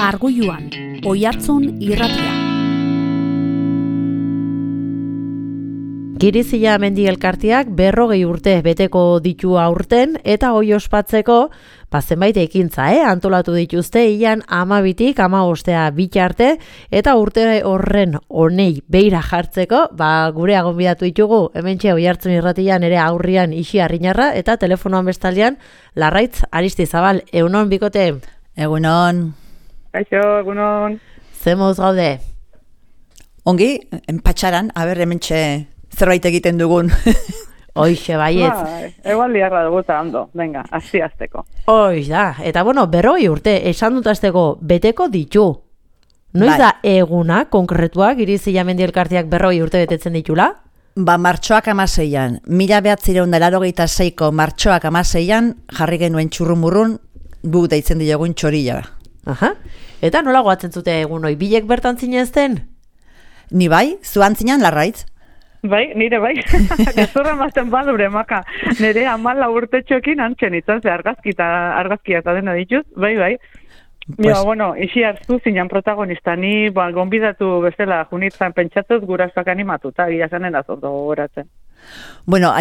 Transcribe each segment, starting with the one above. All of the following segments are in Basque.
Argoiluan, Oiartzun irratia. Girizia mendi elkarteak 40 urte beteko ditu aurten eta hoi ospatzeko zenbait ekintza, antolatu dituzte ilan 12tik 15 bitarte eta urte horren honei beira jartzeko, gure gonbidatu ditugu hementxe Oiartzun irratian ere aurrian Ixi Arrinarra eta telefonoan bestaldean Larraitz Aristizabal. Egunon bikote. Egunon. Kaixo, egunon. Zemoz gaude? Ongi, enpatxaran, hementxe zerbait egiten dugun. Hoixe baietz. Egual liarra dugu eta ondo, venga, azteko. Hoix da, eta 40 urte, esan dut azteko, beteko ditu. Noiz da eguna, konkretua, Girizia mendi elkarteak 40 urte betetzen ditula? Martxoak 16an, 1986ko martxoak 16an, jarri genuen txurrumurrun, gu deitzen diogun txorila. Aha, eta nola goatzen zute egun hoi, bilek bertan zinezten? Ni bai, zuan zinan Larraitz. Bai, nire bai, gezurra mazten badure maka, nire 14 urtetxoekin antzen izan, ze argazkia eta dena dituz, bai. Pues... Ixi hartu zinan protagonista, ni gonbidatu bezala junitzen pentsatuz gurasoak animatuta, gira zanen azondo gogoratzen.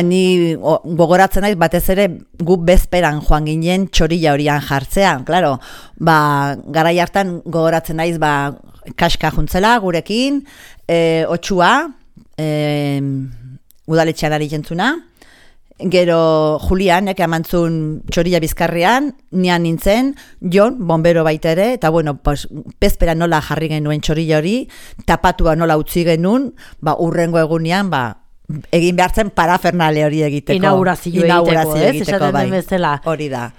Ni gogoratzen naiz batez ere gu bezperan joan ginen txorila horian jartzea, claro, garai hartan gogoratzen naiz kaska juntzela gurekin, otxua, udaletxean ari jentzuna, gero Julianek amantzun txorila bizkarrean, nian nintzen, Jon, bombero baita ere, eta bezpera nola jarri genuen txorila hori, tapatua nola utzi genuen, urrengo egunean, egin behartzen parafernale hori egiteko. Inaugurazio egiteko, bai. Hori da.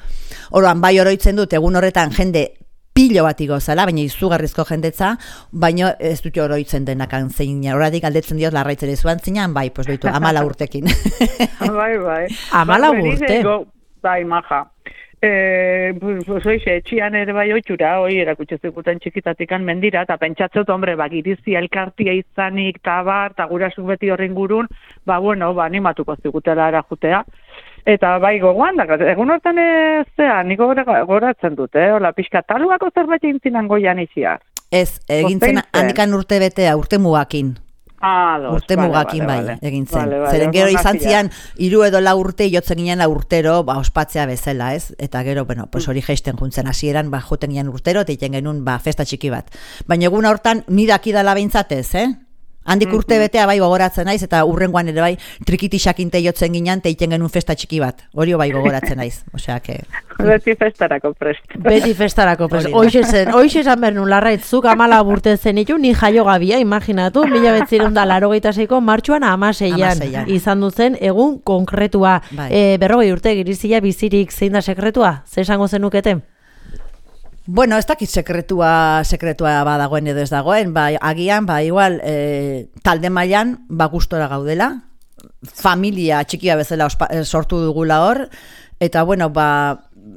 Orduan, oroitzen dut, egun horretan jende pilo bat igozala, baina izugarrizko jendetza, baina ez dut oroitzen denakan zein. Horatik aldetzen diot Larraitzere zuan zinan, behitu, 14 urtekin. Bai. 14 urte? Bai, maja. Etxian ere bai oitxura, erakutxe zikuten txikitatikan mendira, eta pentsatzot, Girizia elkartia izanik, eta gurasuk beti horren gurun, animatuko zikutela erajutea. Eta gogoan, egun hortan niko goratzen dute, hola, pixka taluako zerbait egintzinan goian iziar. Ez, egintzen handikan urte betea, urte mugakin. Urte mugakin egin zen. Zeren gero izan zian, 3 edo 4 urte jotzen ginen urtero, ospatzea bezala, ez? Eta gero, hori geisten juntzen hasieran, joten ginen urtero, eta iten genuen festa txiki bat. Baina egun hortan, nidak idala behintzatez, Handik urte betea gogoratzen naiz, eta urrengoan ere trikitixakinte jotzen ginen, eta iten genuen festa txiki bat. Hori gogoratzen naiz. Beti festarako prest. Hoixe esan behar nun, Larraitzuk 14 urte zenitu, ni jaio gabia, imaginatu, 1986ko martxoan 16an izan duzen egun konkretua. 40 urte Girizia bizirik zein da sekretua? Ze esango zenukete? Ez dakit sekretua badagoen edo ez dagoen, agian, igual, talde mailan, gustora gaudela, familia txikia bezala sortu dugula hor, eta,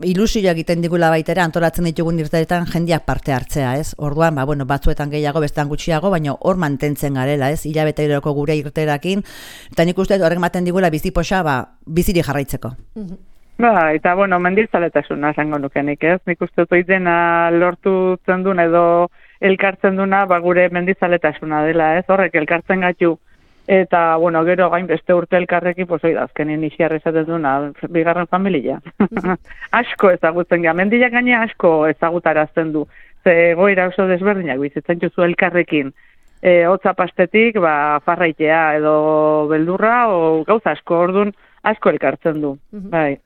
ilusioa egiten digula baitera, antolatzen ditugun irteetan jendeak parte hartzea, ez? Orduan, batzuetan gehiago, bestean gutxiago, baina hor mantentzen garela, ez? Hilabeteroko gure irterakin, eta nik uste horrek maten digula bizipoxa, biziri jarraitzeko. Eta mendizaletasuna esango nukenik, ez? Nik uste dut dena lortu zendun edo elkartzen duna, gure mendizaletasuna dela, ez? Horrek elkartzen gaitu. Eta, gero gain beste urte elkarrekin, azkenin Ixiar esaten duna, bigarren familia. Asko ezagutzen gara, mendiak gaina asko ezagutarazten du. Ze goira oso desberdinak bizitzen juzu elkarrekin. Hotza pastetik, farraitea edo beldurra, o gauza asko, ordun asko elkartzen du, bai.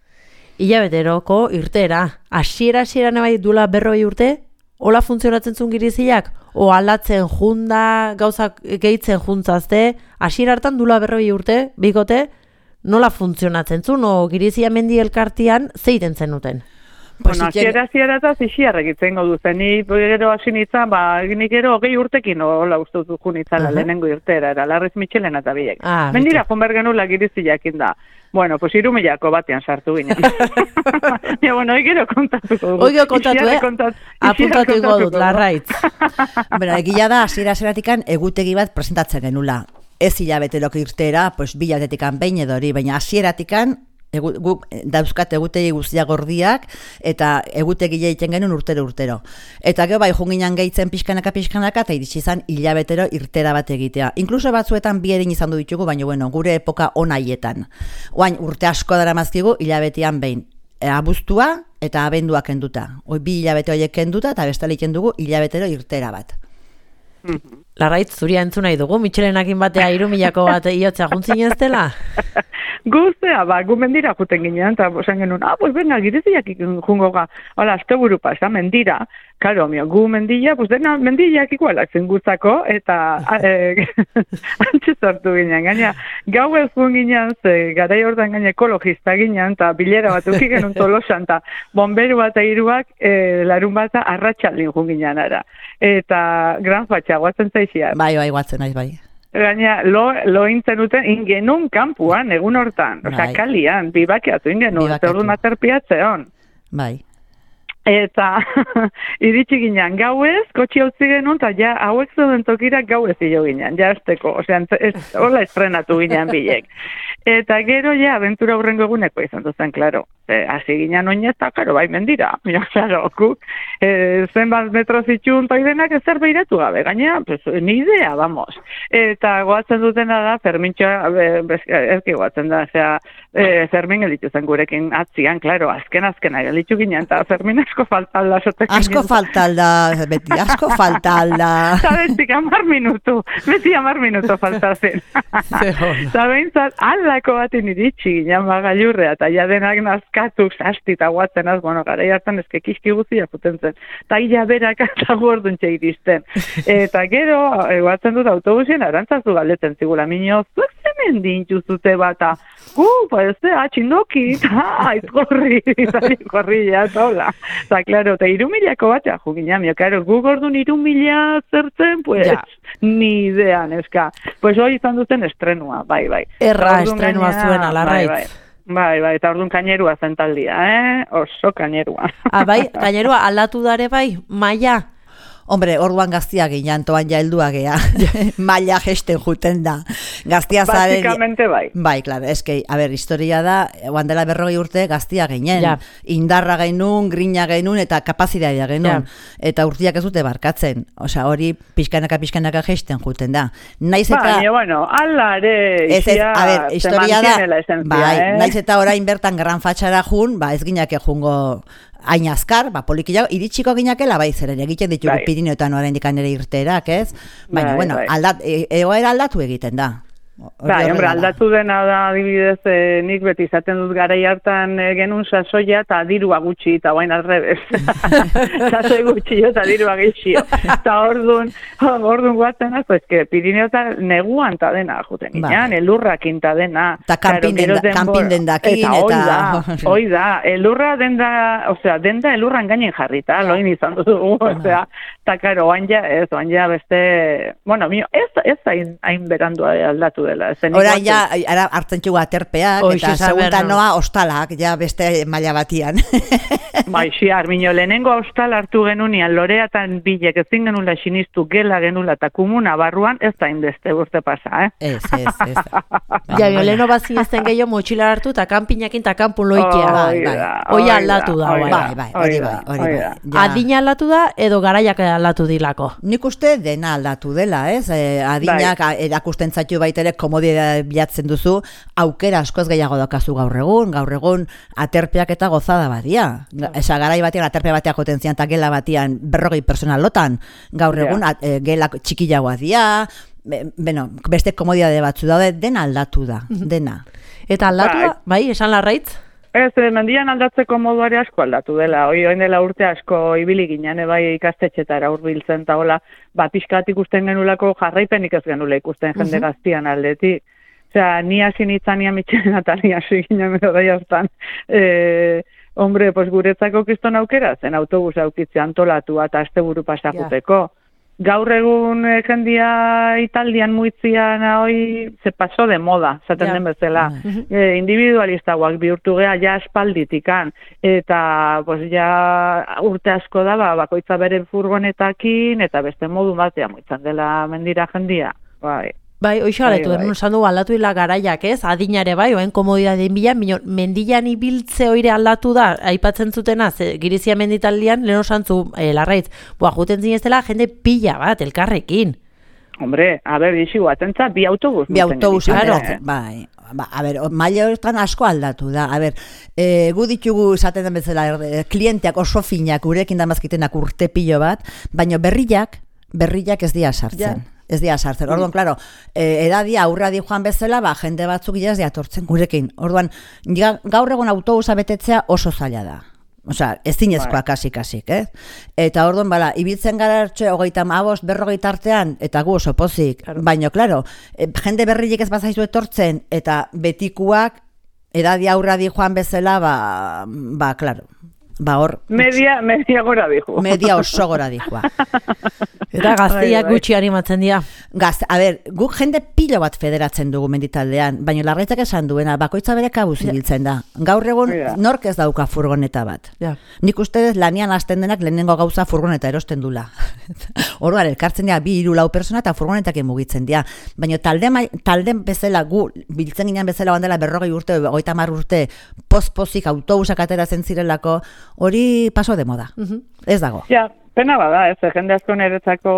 Hilabeteroko irtera, hasiera-hasieran dula 40 urte, hola funtzionatzen zuen Giriziak? O aldatzen junda, gauzak gehitzen juntzazte, hasiera hartan dula 40 urte, bikote, nola funtzionatzen zuen, o Girizia mendi elkartian zeiten zenuten? Hasiera eta Ixiar egitzen duzen, ni gero hasi nintzen, nik gero 20 urtekin hola uste dut junitzala lehenengo irtera, era Larriz Mitxelena eta biek. Mendira jonber genula Giriziakin da. 3.000 batean sartu ginen. Gero kontatuko dut. Apuntatu ingo dut, Larraitz. Egia da, hasiera-hasieratikan egutegi bat presentatzen genula. Ez hilabeteroko irtera, 2 hilabetetikan behin edo hori, baina hasieratikan guk dauzkat egutegi guztiak gordiak, eta egutegile egiten genuen urtero. Eta gero bai, junginan gehitzen pixkanaka, eta iritsi izan hilabetero irtera bat egitea. Inkluso batzuetan bi erin izan du ditugu, baina bueno, gure epoka onaietan. Oain, urte asko dara mazkigu, hilabetean behin. Abuztua eta abendua kenduta. Bi hilabete horiek kenduta, eta bestali kendugu hilabetero irtera bat. Larraitz, zuria entzun nahi dugu, Mitxelenakin batea 3.000 bat iotzea juntzin ez dela? Guztea, gu mendira juten ginen, eta esan genuen, pues venga, gireziak jungo ga, hola, azte buru pasa, mendira, karo, gu mendila, pues dena mendilak igualak zen guztako, eta antxe sortu ginen, gaina, gau ez gun ginen, garai hortan gaine ekologista ginen, eta bilera bat uki genuen Tolosan, eta bomberu bat iruak, larun bat arratsaldin jun ginen ara, eta gran fatxa, guatzen zaixia. Bai, guatzen naiz, bai. Gaina, lo intzen duten ingenun kampuan, egun hortan, osea, kalian, bibakiatu ingenun, eta orduan aterpiatzeon. Bai. Eta iritsi ginen gauez, kotxi utzi genuen, eta ja hauek zeuden tokirak gauez hilo ginen, ja esteko, osea, hola estrenatu ginen bilek. Eta gero, ja, abentura hurrengo eguneko izan duzen, klaro. Hasi ginen oinez, eta, klaro, bai mendira. Klaro, zenbat metro zitxun toidenak ezer behiratu gabe, gaina, pues, ni idea, vamos. Eta goatzen dutena da, Fermintxoa, erki goatzen da, Fermin gelitu zen gurekin atzian, klaro, azken gelitu ginen, eta Fermin asko faltalda. Asko faltalda, beti, asko faltalda. Eta beti, 10 minutu, beti 10 minutu faltazen. Eta behintzat, aldako batin iritsi ginen bagailurrea, eta ja denak nazkatu, sasti eta guatzen az, bueno, gara hartan ezke kiski guztia juten zen. Eta ia berak eta gorduntxe iristen. Eta gero, guatzen dut autobusien arantzazu galdetzen zigula, minio, zuek zemen dintuzute bata, pues, txindoki, aizkorri, ja, tola. Eta, klaro, eta 3.000 batea jugina, klaro, gu gordun 3.000 zertzen, pues, ni idea, neska. Pues, hoi izan duten estrenua, bai. Erra estrenua zuen alarraitz. Bai, eta orduan kainerua zen taldia, oso kainerua. Bai, kainerua aldatu dare bai, maia? Hombre, orduan gaztia ginen, toan ja heldua gea. Maila gesten juten da. Gaztia zaren... Basikamente bai. Bai, klaro, eske, a ber, historia da, oandela 40 urte gaztia ginen. Ja. Indarra genuen, grina genuen, eta kapazitatea genuen. Ja. Eta urtiak ez dute barkatzen. Osea, hori pixkanaka gesten juten da. Naiz eta... Baina, bueno, alare, a ber, historia da... Bai, naiz eta orain bertan gran fatxara jun, ez ginak jungo... hain azkar, polikiago, iritsiko ginakela, zeren egiten ditugu Pirineotan oraindik ere irterak, ez? Baina, bueno, egoera aldatu egiten da. Bai, hombre, aldatu dena da, adibidez, nik beti izaten dut garai hartan genuen sasoia eta dirua gutxi, eta bain alrebez. Sasoi gutxi eta dirua gutxi. Eta orduan guatzen az, eske Pirineotan neguan ta dena juten ginean, elurrakin ta dena. Eta kanpin dendakin, eta... Hoi da, elurra denda, osea, denda elurran gainen jarrita, loin izan dugu, osea, eta karo, oan ja beste, bueno, ez hain berandua aldatu dela. Hora ja, ara hartzen txugu aterpeak, eta seguntan noa ostalak, ja beste maila batian. Bai, Armino, lehenengo ostal hartu genunean, loreatan bilek ezin genula sinistu gela genula eta kumuna barruan, ez da inbeste urte pasa, Ez. Ja, leheno bazin ezten gehiago motxila hartu eta kanpinakin eta kanpun loikea. Hoi aldatu da, hori bai. Adina aldatu da, edo garaiak aldatu dilako? Nik uste dena aldatu dela, ez? Adinak erakusten zaitu baitere komodia bilatzen duzu, aukera askoz gehiago daukazu gaur egun aterpeak eta gozada badia. Esa garai batean aterpe bateak joten zian eta gela batean 40 pertsona lotan, gaur egun gela txikiagoa dira, beste komodiade batzu daude, dena aldatu da, dena. Eta aldatu da, bai, esan Larraitz? Ez, mendian aldatzeko moduare asko aldatu dela. Oin dela urte asko ibili ginen, bai ikastetxetara hurbiltzen eta hola, pixkat ikusten genulako jarraipenik ez genula ikusten jende gaztian aldetik. Osea, ni hasi nitzania Mitxelen eta ni hasi ginen bai hartan. Hombre, pues guretzako kriston aukera zen autobus aukitze antolatu eta asteburu pasakuteko. Gaur egun jendia Italdian muitzian hoi se pasó de moda, zaten den bezala. Individualistagoak bihurtu gea ja aspalditikan, eta pues ja urte asko da, bakoitza bere furgonetakin, eta beste modu batean muitzan dela mendira jendia. Bai. Bai, hoxe galetu, Bai. esan du aldatu hila garaiak, ez? Adinare bai, oen komodidadeen bila, mendian ibiltze oire aldatu da, aipatzen zutena, Girizia menditaldian, lehen osantzu, larraitz, juten zinezela, jende pila bat, elkarrekin. Hombre, a ber, ixi guatentza, bi autobus. Ateratzen, bai. A ber, maila horretan asko aldatu da. A ber, gu ditugu esaten den bezala, klienteak oso finak, gurekin damazkitenak urte pilo bat, baina berriak ez dira sartzen. Ez dira sartzen. Orduan, klaro, edadia aurradi joan bezala, jende batzuk jaz diatortzen gurekin. Orduan, gaur egon autobusa betetzea oso zaila da. Osea, ez zinezkoa kasik, Eta orduan, ibiltzen gara 35, 40 artean, eta gu oso pozik. Baina, klaro, jende berriek ez bazaizu etortzen, eta betikuak, edadia aurradi joan bezala, klaro. Hor... Media gora dijo. Media oso gora dijoa. Eta gaztiak gutxi animatzen dira. A ber, guk jende pilo bat federatzen dugu menditaldean, baina Larraitzak esan duena, bakoitza bere kabuz ibiltzen da. Gaur egun nork ez dauka furgoneta bat. Nik uste lanian hasten denak lehenengo gauza furgoneta erosten dula. Orduan, elkartzen dira 2-4 persona eta furgonetak mugitzen dira. Baina talden bezala gu, biltzen ginen bezala bandela 40 urte, 30 urte, pozik autobusak ateratzen zirelako, hori paso de moda. Ez dago. Ja, pena bada, jende asko niretzako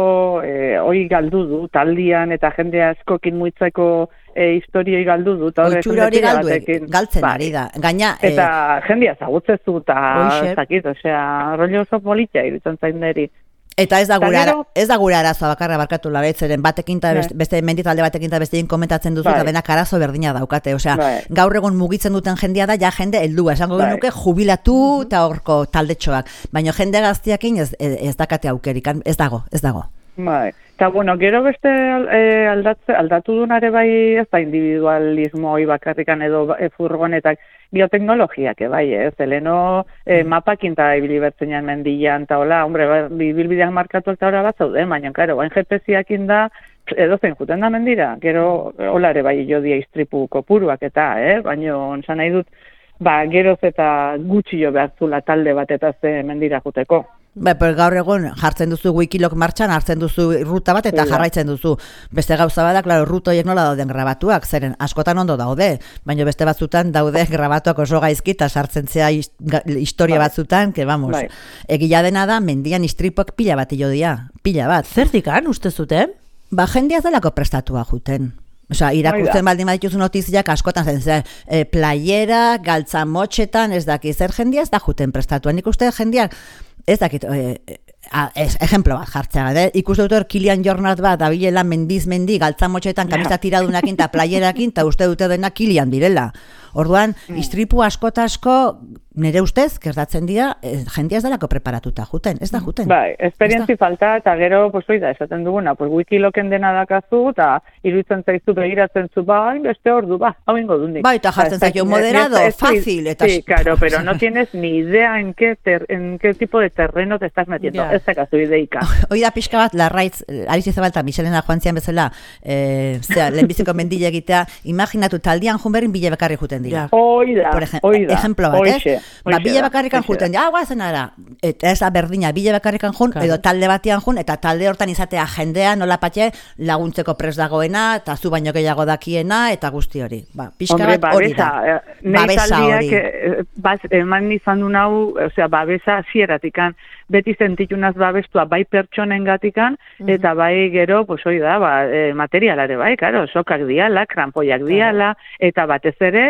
hori galdu du, taldian eta jende askokin muitzeko historioi galdu du. Oitxura hori galtzen ari da. Gaina, eta jendea zagutzezu eta zakit, rollo oso politia irutzen zain deri. Eta ez da gure arazoa bakarra barkatu Larraitzeren batekin eta beste menditalde batekin eta bestein komentatzen duzu eta denak arazo berdina daukate. Gaur egon mugitzen duten jendea da, ja jende heldua. Esango genuke jubilatu eta horko taldetxoak. Baina jende gaztiakin ez dakate aukerikan, ez dago. Bai. Eta, gero beste aldatu dunare bai ez da individualismo hoi bakarrikan edo furgonetak bioteknologiak, bai, zeleno mapakin eta ibilibertzenan mendian, eta hola, bilbideak markatu eta hori bat zaude, baina, karo, bain GPS-iakin da, edo zein juten da mendira, gero, hola ere bai jo dia istripu kopuruak eta, baina, onsan nahi dut, geroz eta gutxi jo behartzula talde bat eta ze mendira juteko. Gaur egun jartzen duzu Wikilok martxan, hartzen duzu ruta bat eta jarraitzen duzu. Beste gauza bada, klaro, ruta horiek nola dauden grabatuak, zeren askotan ondo daude, baina beste batzutan daude grabatuak oso gaizki eta sartzen zea historia batzutan, que vamos, egila dena da, mendian istripuak pila bat jodia, pila bat. Zertikan, uste zuten? Jendeaz delako prestatua juten. Irakurtzen baldin badituzu notiziak askotan zen, playera, galtzamotxetan, ez daki, zer jendea ez da juten prestatua. Nik uste jendeak, ez dakit, ejemplo bat jartzea, ikuste dut Kilian Jornat bat, dabilela mendi, galtzamotxetan, kamisa tiradunakin eta playerakin, eta uste dute dena Kilian direla. Orduan, istripu asko, nire ustez, gertatzen dira, jendea ez delako preparatuta juten, ez da juten. Esperientzi falta, eta gero, esaten duguna, Wikiloken dena dakazu, eta iruditzen zaizu begiratzen zu, beste ordu, hau ingo dundik. Eta jartzen zaizu, moderado, fácil. Sí, claro, pero no tienes ni idea en qué tipo de terreno te estás metiendo, ez dakazu ideika. Hoi da pixka bat, Larraitz, Alicia Zabalta, Michelena joan zian bezala, lehenbiziko mendile egitea, imaginatu, taldian junberin bile bekarri juten dira. Oida. Ejemplo bat, bile bakarrikan juten, guazen ara, eta ez da berdina, bile bakarrikan jun, edo talde batian jun, eta talde hortan izatea jendea, nola patxe, laguntzeko pres dagoena, eta zu baino gehiago dakiena, eta guzti hori. Pixka bat hori da. Babesa hori. Eman izan du nau, babesa zieratikan, beti sentitunaz babestua bai pertsonen gatikan, eta bai gero, hori da, materialare bai, karo, sokak diala, krampoiak diala, eta batez ere,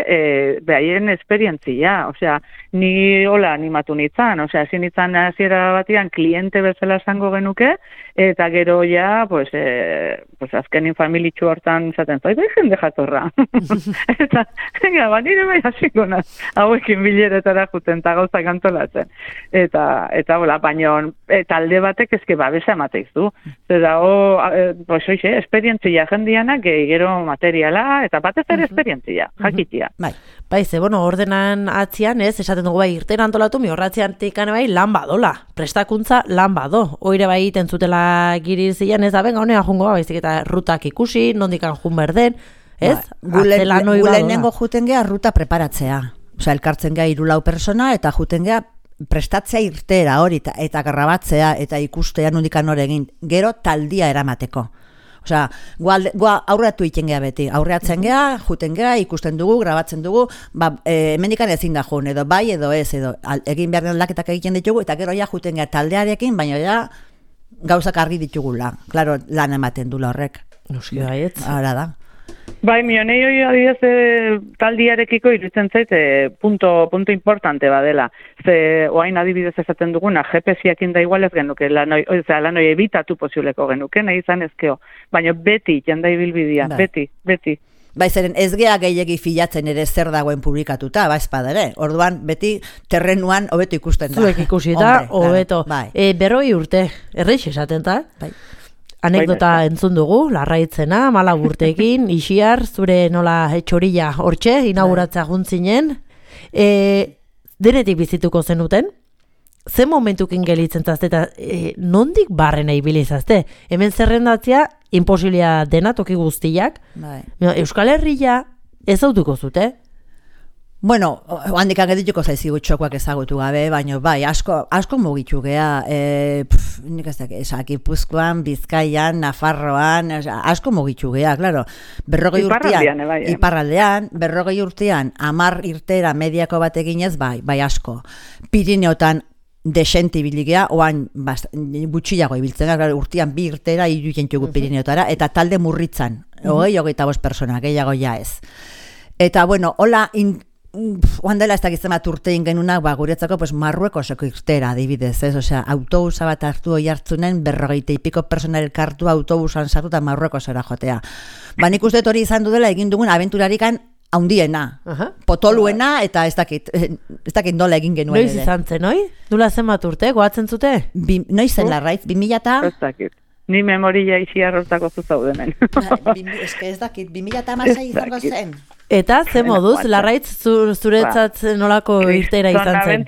behaien esperientzia, ni hola animatu nintzen, ezin nintzen hasiera batean kliente bezala esango genuke, eta gero ja, azkenin familitxu hortan zaten, bai jende jatorra. Eta, nire bai hasiko naz, hauekin bileretara juten, eta gauzak antolatzen. Eta hola, baina talde batek ezke babesa emateizu. Zera, esperientzia jendianak, gero materiala, eta batez ere esperientzia, jakitia. Ordenan atzian, esaten dugu irten antolatu, mi horratzean tikan lan badola, prestakuntza lan bado. Oire bai iten zutela Girizien, ez da, benga, honea jungo, baizik eta rutak ikusi, nondikan jun berden, ez? Gulenengo juten gea ruta preparatzea. Elkartzen gea 3-4 persona, eta juten gea prestatzea irtera hori, eta grabatzea, eta ikustea nondikan hor egin. Gero taldia eramateko. Osea, aurreatu iten gea beti, aurreatzen gea, juten gea, ikusten dugu, grabatzen dugu, hemendikan ezin da joan, edo bai, edo ez, edo egin behar den laketak egiten ditugu, eta gero ja juten gea taldearekin, baina ja gauzak argi ditugula. Claro, lan ematen dula horrek. Noski baietz. Hala da. Bai, mionei hori adibidez taldiarekiko iruditzen zait punto importante badela. Ze oain adibidez esaten duguna, GPS-iakin da igual ez genuke, lanoi ebitatu posibleko genuke, nahi izan ezkeo. Baina beti, janda ibilbidia, beti. Bai, zeren ez gea gehiegi filatzen ere zer dagoen publikatuta, espada ere. Orduan, beti terrenuan hobeto ikusten da. Zuek ikusita, hobeto. Bai. 40 urte, erreix esaten da? Bai. Anekdota entzun dugu, larraitzena, 4 urteekin, Ixiar, zure nola txorilla hortxe, inauguratzea juntzinen. Denetik bizituko zenuten? Ze momentukin gelitzen zazte eta nondik barrena ibilizazte? Hemen zerrendatzea, imposibilia dena toki guztiak. Bai. Euskal Herria ez autuko zute? Bueno, handik agedituko zaizigu txokoak ezagutu gabe, baina bai, asko mugitu gea, nik ez dakit, Gipuzkoan, Bizkaian, Nafarroan, asko mugitu gea, claro. 40 urtean, iparraldean, 40 urtean, 10 irtera mediako bat eginez, bai asko. Pirineotan desente ibiligea, oan gutxiago ibiltzen, urtean 2 irtera irudientugu Pirineotara, eta talde murritzan, 25 persona, gehiago ja ez. Eta bueno, hola, oan dela ez dakizten bat urtein genunak, guretzako Marruekoseko irtera adibidez, ez? Osea, autobusa bat hartu Oiartzunen 40 y pico persona elkartu autobusan sartu eta Marruekosera jotea. Nik uste hori izan dudela egin dugun abenturarikan haundiena, potoluena, eta ez dakit nola egin genuen ere. Noiz izan zen, oi? Dula zenbat urte, goatzen zute? Noiz zen Larraitz, 2000 eta... Ez dakit. Ni memoria Ixiar hortako zuzaudenen. Ez dakit, 2006 izango zen. Eta, ze moduz, Larraitz zuretzat nolako irtera izan zen?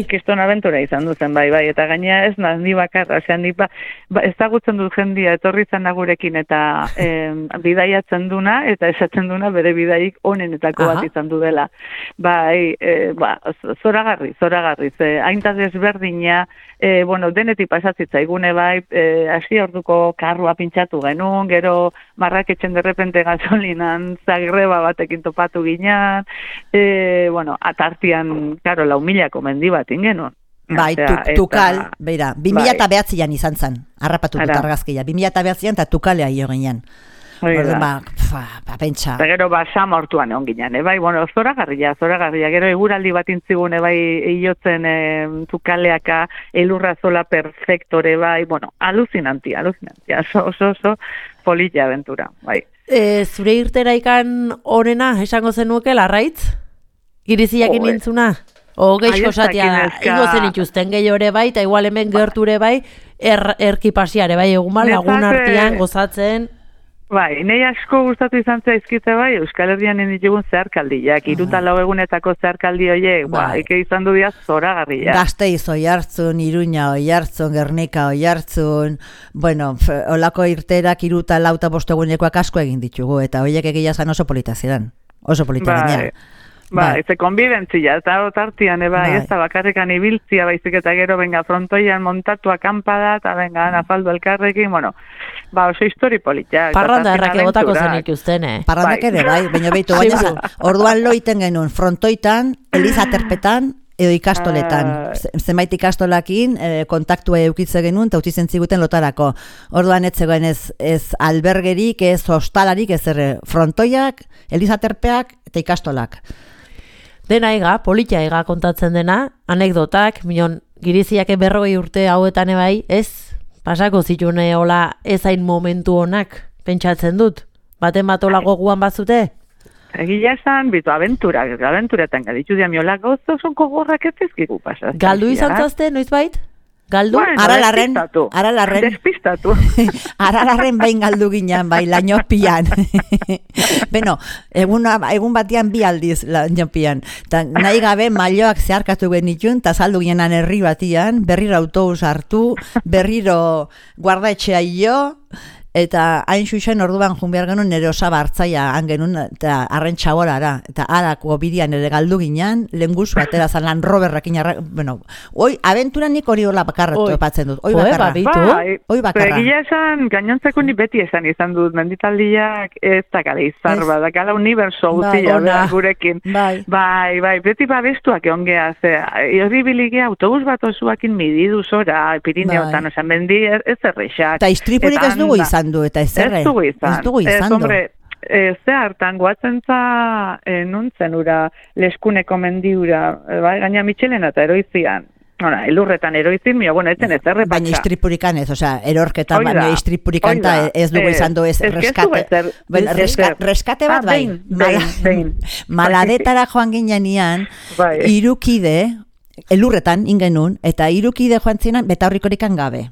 Kriston aventura izan duzen, bai, eta gaina ez ni bakarra, ezagutzen dut jendia etorri zen nagurekin eta bidaiatzen duna, eta esatzen duna bere bidaik onenetako bat izan du dela. Bai, zoragarri, hainta desberdina, denetik pasatzitza igune bai, hasi orduko karrua pintxatu genuen, gero marraketxen derrepente gasolinan zagreba batekin topatu ginean, atartian, karo, 4.000ko mendi bat ingenuen. Bai, tukal, beira, 2009an izan zen, harrapatu dut argazkia, 2009an eta tukalea hio ginean. Orduan, pentsa. Eta gero, samortuan egon ginean, bai, zoragarria, gero eguraldi bat intzigune, bai, iotzen tukaleaka, elurra zola perfektore, bai, alucinantia, oso polilla aventura, bai. Zure irtera ikan honena esango zenuke Larraitz? Giriziakin nintzuna? O geixko satia, ingo zen ituzten gehiore bai, eta igual hemen gerture bai, erkipasiare bai, egun lagun artean gozatzen... Bai, nahi asko gustatu izan zaizkite bai, Euskal Herrian ditugun zeharkaldiak, 3-4 egunetako zeharkaldi horiek, ike izan du dira zoragarria. Gasteiz Oiartzun, Iruña Oiartzun, Gernika Oiartzun, olako irterak 3-4 egunekoak asko egin ditugu, eta horiek egia zan oso polita ziren, oso polita ginean. Ze konbibentzia, eta otartian, ez da bakarrikan ibiltzia, baizik eta gero, frontoian montatu akampada, eta nafaldu elkarrekin, oso histori politia. Parranda errake botako zen ikuzten, Parrandak ere, bai, baina behitu, orduan loiten genuen frontoitan, Elizaterpetan, edo ikastoletan. Zenbait ikastolakin kontaktua eukitze genuen, eta utitzen ziguten lotarako. Orduan ez zegoen ez albergerik, ez hostalarik, ez frontoiak, Elizaterpeak eta ikastolak. Dena ega, politia ega kontatzen dena, anekdotak, giriziak 40 urte hauetan ebai, ez? Pasako zitune hola ezain momentu honak, pentsatzen dut? Baten bat hola goguan bazute? Egia esan, aventuretan gaditu dian miola gozo zonko gorrak ez ezkigu pasatzen. Galdu izan zazte, noiz bait? Galdu? Aralarren. Despistatu. Aralarren bain galdu ginean, bai, lainopian. Egun batian 2 aldiz lainopian. Nahi gabe mailloak zeharkatu genitun, eta saldu ginean herri batian, berriro autobus hartu, berriro guardaetxea jo, Eta hain xuxen orduan jun behar genuen nire osaba hartzaia genuen, eta arren txaborara, eta harako bidian ere galdu ginean, lenguz batera zan lan roberrakin bueno, oi, abentura nik hori hola bakarra topatzen dut, oi bakarra. Oi bakarra. Egia esan, gainontzeko ni beti izan dut, menditaldiak ez dakala izar, badakala uniberso guztia gurekin. Bai, beti babestuak egon geha, horri bilige autobus bat osuakin mididu zora, Pirineotan, osan, mendi ez errexak. Eta istripurik ez dugu izan du, eta ez dugu izan du. Ze hartan, guatzentza nuntzen ura, leskuneko mendiura, gaina Michelena eta eroizian. Elurretan eroizin, bueno, etzen ez errepatxa. Baina istripurikan ez, inorketan, baina istripurikan ez dugu izan du ez reskate bat, bai. Maladetara joan ginean, irukide, elurretan ingenun, eta irukide joan zinan, betaurrikorikan gabe.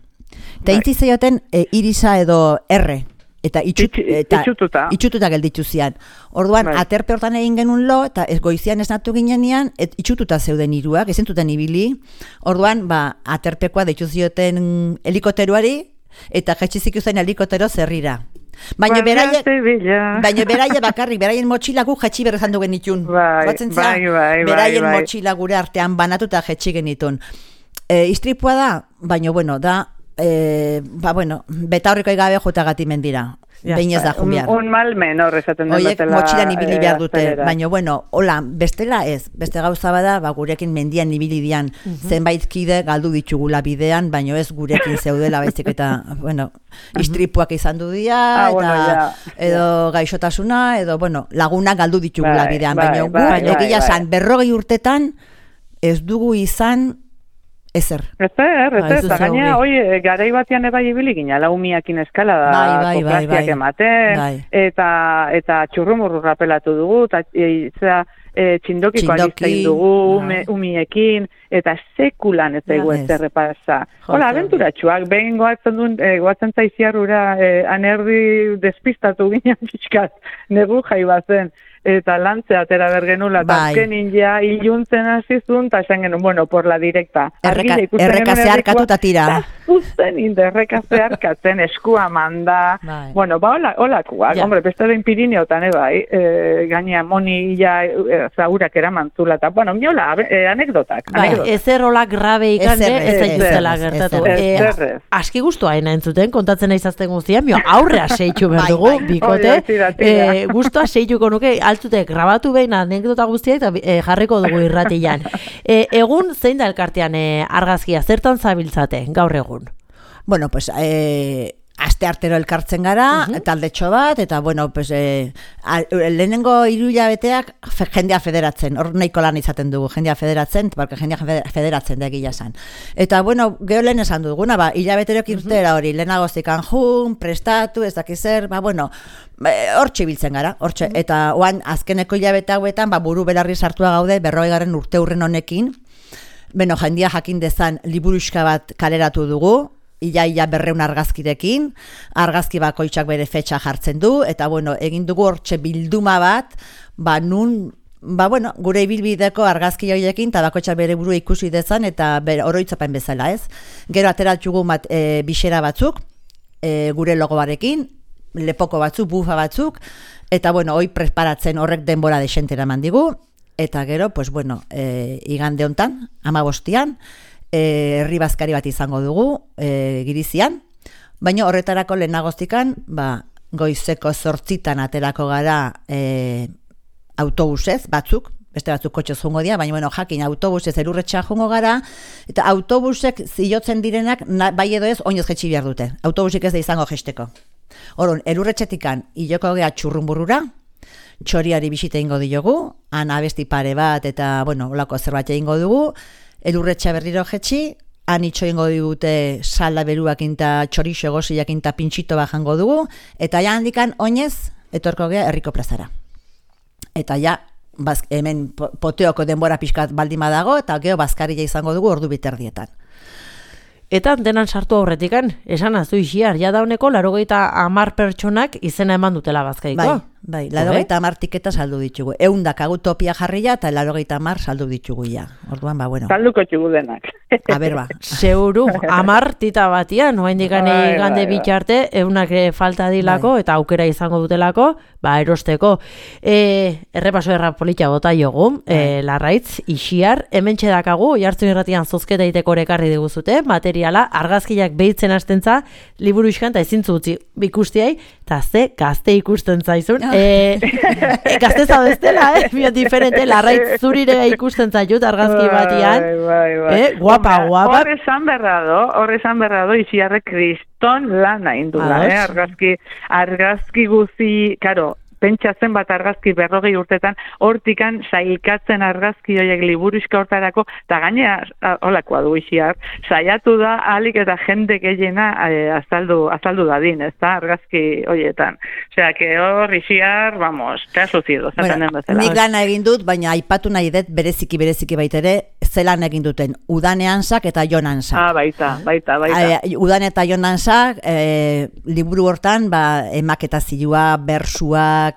Eta intzi zeioten irisa edo erre. Eta itxututa gelditu zian. Orduan, aterpe hortan egin genuen lo, eta goizian esnatu ginean, itxututa zeuden hiruak, ezentuten ibili. Orduan, aterpekoa deitu zioten helikoteruari, eta jetxizik uzen helikotero zerrira. Baina beraie bakarrik, beraien motxila gu jetxi berrezan dugen itun. Beraien motxila gure artean banatuta jetxi genitun. Istripua da, baina bueno, da, betaurriko gabe jota gati mendira. Behin ez da jumiar. Un mal menor esaten den batela. Oiek motxilan ibili behar dute, baina bueno, hola, bestela ez. Beste gauza bada, gurekin mendian ibili dian zenbait kide galdu ditugula bidean, baina ez gurekin zeudela baizik eta, bueno, istripuak izan du dia, edo gaixotasuna, edo, bueno, lagunak galdu ditugula bidean, baina gu, egia san, 40 urtetan ez dugu izan ezer. Eta gaina, garai batean ebai ibili gina, laumiakin eskala da, koplaziak ematen, eta txurrumurru rapelatu dugu, eta txindokiko alistein dugu, umiekin, eta sekulan ez dugu ez errepasa. Hola, abenturatxuak, behin goatzen zaiziarrura, anerdi despistatu ginen pixkat, negu jaibazen. Eta lantzea atera bergenula, eta azkenin ja iluntzen hasizun, eta esan genuen, bueno, por la directa. Erreka zeharkatu eta tira. Zuzten inde, erreka zeharkatzen, eskua manda. Bueno, holakuak, hombre, bestaren Pirineotan, gaina moni ja zaurak eramantzula, eta, bueno, miola, anekdotak. Ezer holak grabe ikan, ez da juzela gertatu. Aski guztua entzuten, kontatzen naizazten guztian, aurrea seitxu behar dugu, bikote, guztua seitxuko nuke, altzutek grabatu behin anekdota guztia eta jarriko dugu irratian. Egun zein da elkartean argazkia, zertan zabiltzate gaur egun? Bueno, pues aste artero elkartzen gara, taldetxo bat, eta bueno, pues lehenengo 3 hilabeteak jendea federatzen, hor nahiko lan izaten dugu, jendea federatzen, porque jendea federatzen da egia esan. Eta bueno, geho lehen esan duguna, hilabeterok irtera hori, lehenagozikan jun, prestatu, ez dakizer, bueno, hortxe biltzen gara, hortxe, eta oan azkeneko hilabete hauetan, buru belarri sartua gaude, 40. urte hurren honekin, beno, jendea jakin dezan liburuxka bat kaleratu dugu, ia 200 argazkirekin, argazki bakoitzak bere fetxa jartzen du, eta bueno, egin dugu hortxe bilduma bat, nun, bueno, gure ibilbideko argazki horiekin, eta bakoitzak bere buru ikusi dezan, eta oroitzapen bezala, ez? Gero ateratxugu bisera batzuk, gure logoarekin, lepoko batzuk, bufa batzuk, eta bueno, hoi preparatzen horrek denbora desentera mandigu, eta gero, pues bueno, igande hontan, 15an, herri bazkari bat izango dugu, Girizian, baina horretarako lehenagoztikan, goizeko 8 aterako gara autobusez, batzuk, beste batzuk kotxez jungo dira, baina bueno, jakin autobusez elurretxa jungo gara, eta autobusek ziotzen direnak, bai edo ez, oinez jetxi behar dute, autobusik ez da izango jesteko. Orduan, elurretxetikan hiloko gea txurrumburrura, txoriari bisite ingo diogu, han abesti pare bat, eta bueno, olako zerbait egingo dugu, elurretxa berriro jetxi, han itxo ingo digute salda beruakin eta txorixo egosiakin eta pintxito bajango dugu, eta ja handikan oinez, etorko gea herriko plazara. Eta ja, hemen poteoko denbora pixkat baldima dago, eta geho bazkaria izango dugu ordu biterdietan. Eta antenan sartu aurretikan, esan azu isiar, ja dauneko 90 pertsonak izena eman dutela bazkaiko. Bai, 80 tiketa saldu ditugu. 100 dakagu topia jarria eta 80 saldu ditugu ja. Orduan, ba, bueno. Salduko txugu denak. A ber, ba. Seguru, 10 tita batian, oraindik igande bitarte, 100 falta dilako eta aukera izango dutelako, ba, erosteko. Errepaso polita bota jogu, Larraitz, Ixiar, hementxe dakagu, Oiartzun Irratian zozketa iteko ekarri diguzute, materiala, argazkiak behitzen hastentza, liburu iskan, eta ezintzu utzi ikustiai, eta ze gazte ikusten zaizun. Gazte zaudeztela, biot diferente, Larraitz zurire ikusten zaitut argazki batian. Guapa. Hor esan berrado, Ixiarrek kriston lana indula, argazki guzi, karo, pentsatzen bat argazki 40 urtetan, hortikan sailkatzen argazki horiek liburuizka hortarako, eta gainea, holakoa du Ixiar, saiatu da alik eta jende gehiena azaldu dadin, ez da, argazki horietan. Osea, que hor Ixiar, vamos, kasu zido, zaten den bezala. Nik lana egin dut, baina aipatu nahi dut bereziki baitere, zelan egin duten, Udaneansak eta Jonansak. Baita. Udan eta Jonansak, liburu hortan, emaketa zilua, bersuak,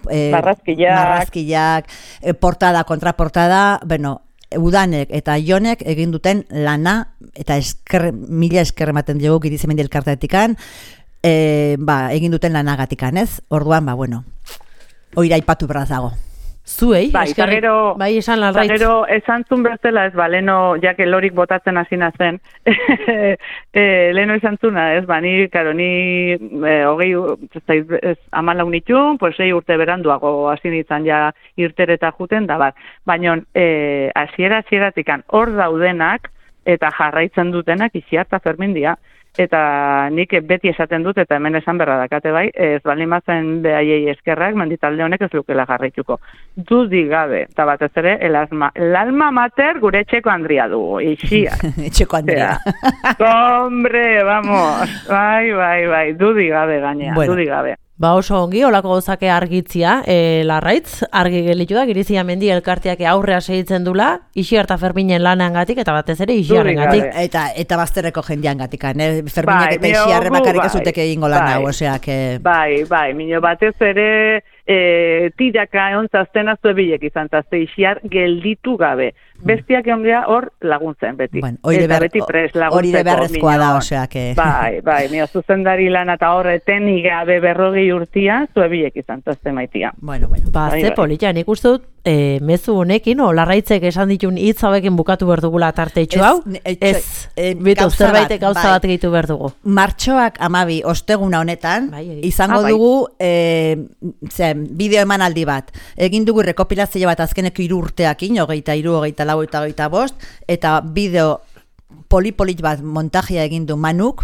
marrazkiak, portada, kontraportada, Udanek eta Jonek egin duten lana, eta mila esker ematen dugu Girizimendi elkartetikan, egin duten lanagatikan, ez? Orduan, oira aipatu beraz dago. Zuei, gero esan Larraitz. Gero esan zun bezala, leno, jake lorik botatzen hasina zen, leno esan zuna, ni 14 nitun, 6 urte beranduago hasi nintzen ja irtereta juten, da bat. Baina, hasiera-hasieratik hor daudenak, eta jarraitzen dutenak Ixiar eta Fermindia. Eta nik beti esaten dut, eta hemen esan berra dakate bai, ez baldin bazen behaiei eskerrak, menditalde honek ez lukela jarraituko. Dudi gabe, eta batez ere, el alma mater gure etxeko Andria dugu, Ixiar. Etxeko Andria. Hombre, vamos, bai, dudi gabe gainea, dudi gabe. Oso ongi, olako gauzake argitzia, Larraitz, argi gelitu da, Giriziamendi elkarteak aurrea segitzen dula, Ixiar eta Ferminen lanangatik, eta batez ere Ixiarrengatik. Eta bazterreko jendeangatik, Ferminek eta Ixiarre bakarrik ez uteke egingo lan hau, oseak. Bai, mino batez ere, tiraka eontzazten azuebilek izan, zazte Ixiar gelditu gabe. Bestiak ondea hor laguntzen beti. Eta beti pres laguntzeko. Hori de beharrezkoa da, oseak. Bai, mio zuzendari lan eta horreten igabe 40 urtia, zuebilek izan, zazte maitia. Ze polita, nik uste dut, mezu honekin, Larraitzek esan ditun hitz hauekin bukatu behar dugula tarteitxu hau? Bitu, zerbaitek gauza bat gehitu behar dugu. Martxoak 12 osteguna honetan, izango dugu bideo emanaldi bat. Egin dugu rekopilazio bat azkeneko 3 urteakin, 23, 24, 25, eta bideo polipolit bat montajea egin du Manuk,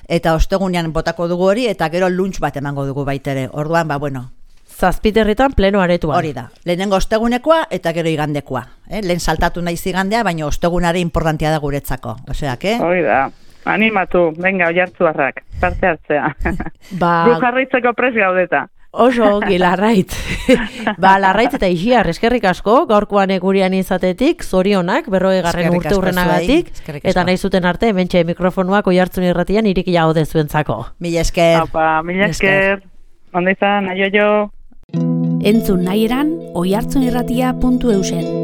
eta ostegunean botako dugu hori, eta gero lunch bat emango dugu baitere. Orduan, Zazpiterritan pleno aretuan. Hori da. Lehenengo ostegunekoa eta gero igandekoa. Lehen saltatu naiz igandea, baina ostegunare importantea da guretzako. Oseak, Hori da. Animatu, venga, Oiartzuarrak, parte hartzea. Gu jarraitzeko pres gaudeta. Oso ongi, Larraitz. Larraitz eta Ixiar, eskerrik asko, gaurkoan gurian izatetik, zorionak, 40. urte hurrenagatik, eta nahi zuten arte, hementxe mikrofonuak Oiartzun Irratian irikia gaude zuentzako. Mila esker. Mila esker. Onda izan, aio. Entzun nahi eran, oiartzunirratia.eusen.